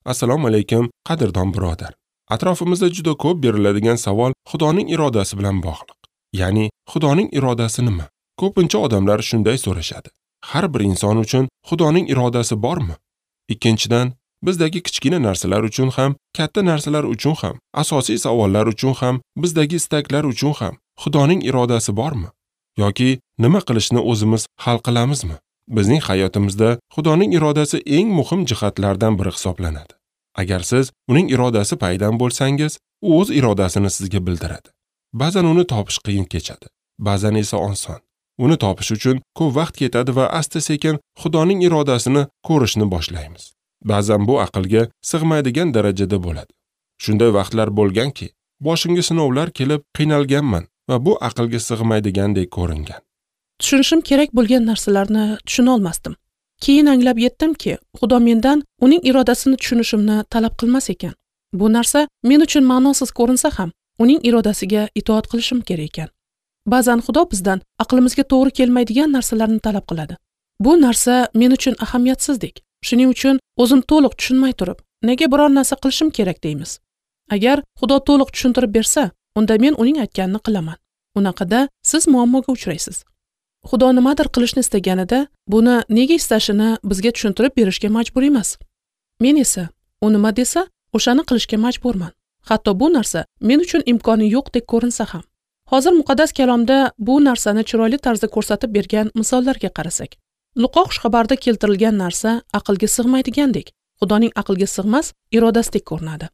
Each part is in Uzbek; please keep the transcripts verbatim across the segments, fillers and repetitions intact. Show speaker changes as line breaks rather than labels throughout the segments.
Assalomu alaykum, qadrdon birodar. Atrofimizda juda ko'p beriladigan savol Xudoning irodasi bilan bog'liq. Ya'ni Xudoning irodasi nima? Ko'pincha odamlar shunday so'rashadi. Har bir inson uchun Xudoning irodasi bormi? Ikkinchidan, bizdagi kichkina narsalar uchun ham, katta narsalar uchun ham, asosiy savollar uchun ham, bizdagi istaklar uchun ham Xudoning irodasi bormi? Yoki nima qilishni o'zimiz hal qilamizmi? Bizning hayotimizda Xudoning irodasi eng muhim jihatlardan biri hisoblanadi. Agar siz uning irodasi paydan bo'lsangiz, u o'z irodasini sizga bildiradi. Ba'zan uni topish qiyin kechadi, ba'zan esa oson. Uni topish uchun ko'p vaqt ketadi va asta-sekin Xudoning irodasini ko'rishni boshlaymiz. Ba'zan bu aqlga sig'maydigan darajada bo'ladi. Shunday vaqtlar bo'lganki, boshimga sinovlar kelib qiynalganman va bu aqlga sig'maydigandek ko'ringan.
Tushunishim kerak bo'lgan narsalarni tushuna olmasdim. Keyin anglab yetdimki, Xudo mendan uning irodasini tushunishimni talab qilmas ekan. Bu narsa men uchun ma'nosiz ko'rinsa ham, uning irodasiga itoat qilishim kerak ekan. Ba'zan Xudo bizdan aqlimizga to'g'ri kelmaydigan narsalarni talab qiladi. Bu narsa men uchun ahamiyatsizdek. Shuning uchun o'zim to'liq tushunmay turib, nega biror narsa qilishim kerak deymiz. Agar Xudo to'liq tushuntirib bersa, unda men uning aytganini qilaman. Unaqada siz muammoga uchraysiz. Xudo nimadir qilishni istaganida, buni nega istashini bizga tushuntirib berishga majbur emas. Men esa, u nima desa, o'shani qilishga majburman. Hatto bu narsa men uchun imkoni yo'qdek ko'rinsa ham. Hozir muqaddas kalomda bu narsani chiroyli tarzda ko'rsatib bergan misollarga qarasak. Luqo xushxabarda keltirilgan narsa aqlga sig'maydigandek, Xudoning aqlga sig'mas irodasidek ko'rinadi.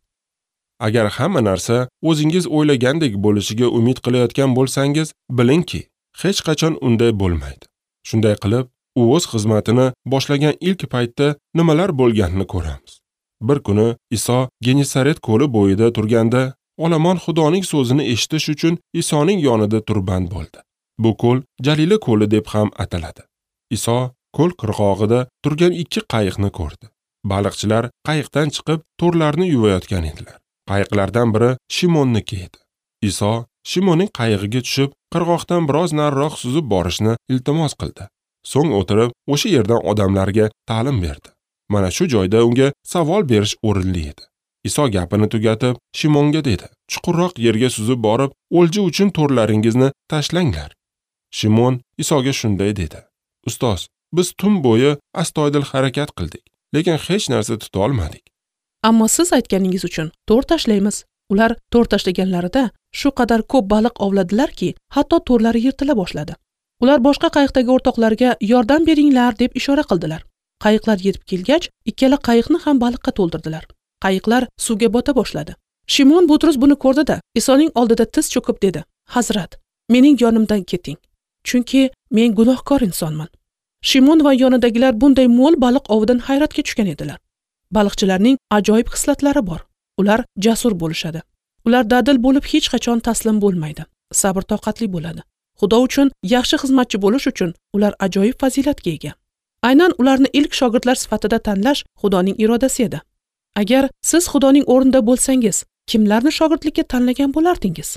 Agar hamma narsa o'zingiz o'ylagandek bo'lishiga umid qilayotgan bo'lsangiz, bilingki, hech qachon unday bo'lmaydi. Shunday qilib, u o'z xizmatini boshlagan ilk paytda nimalar bo'lganini ko'ramiz. Bir kuni Iso Genesaret ko'li bo'yida turganda, olomon Xudoning so'zini eshitish uchun Isoning yonida turband bo'ldi. Bu ko'l Jalila ko'li deb ham ataladi. Iso ko'l qirg'og'ida turgan ikki qayiqni ko'rdi. Baliqchilar qayiqdan chiqib to'rlarni yuvayotgan edilar. Qayiqlardan biri Shimonniki edi. Iso Shimonning qayig'iga tushib, qirg'oqdan biroz nariroq suzib borishni iltimos qildi. So'ng o'tirib, o'sha yerdan odamlarga ta'lim berdi. Mana shu joyda unga savol berish o'rinli edi. Iso gapini tugatib, Shimonga dedi: "Chuqurroq yerga suzib borib, o'lja uchun to'rlaringizni tashlanglar." Shimon Isoga shunday dedi: "Ustoz, biz tun bo'yi astoydil harakat qildik, lekin hech narsa tuta olmadik.
Ammo siz aytganingiz uchun to'r tashlaymiz." Ular to'r tashlaganlarida shu qadar ko'p baliq ovladilarki, hatto to'rlari yirtila boshladi. Ular boshqa qayiqdagi o'rtoqlarga yordam beringlar deb ishora qildilar. Qayiqlar yetib kelgach, ikkala qayiqni ham baliqqa to'ldirdilar. Qayiqlar suvga bota boshladi. Shimon Butrus buni ko'rdi-da, Isoning oldida tiz cho'kib dedi: "Hazrat, mening yonimdan keting, chunki men gunohkor insonman." Shimon va yonidagilar bunday mo'l baliq ovidan hayratga tushgan edilar. Baliqchilarning ajoyib xislatlari bor. Ular jasur bo'lishadi. Ular dadil bo'lib hech qachon taslim bo'lmaydi. Sabr-toqatli bo'ladi. Xudo uchun yaxshi xizmatchi bo'lish uchun ular ajoyib fazilatga ega. Aynan ularni ilk shogirdlar sifatida tanlash Xudoning irodasi edi. Agar siz Xudoning o'rnida bo'lsangiz, kimlarni shogirdlikka tanlagan bo'lardingiz?